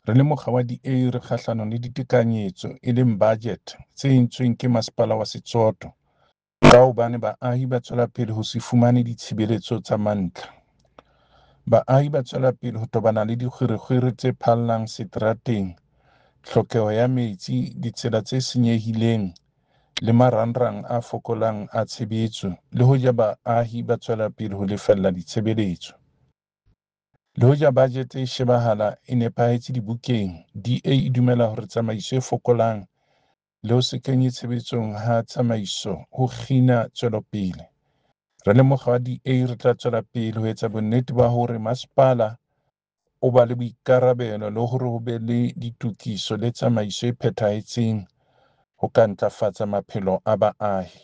Re le mokga wa DA re kgahlanong le ditekanyetso e leng budget tse entsweng ke masepala wa Setsoto ka hobane baahi ba tswela pele ho se fumane ditshebeletso tsa mantlha. Baahi ba tswela pele ho tobana le dikgwerekgwere tse phallang seterateng, tlhokeho ya metsi, ditsela tse senyehileng le marangrang a fokolang a tshebetso le hoja baahi ba tswela pele ho lefella ditshebeletso. Le hoja bajete e shebahala e nepahetse dibukeng, DA e dumela hore tsamaiso e fokolang le ho se kenywe tshebetsong ha tsamaiso ho kgina tswelopele. Re le mokga wa DA re tla tswela pele ho etsa bonnete ba hore masepala o ba le boikarabelo le hore ho be le ditokiso le tsamaiso e phethahetseng ho ka ntlafatsa maphelo a baahi.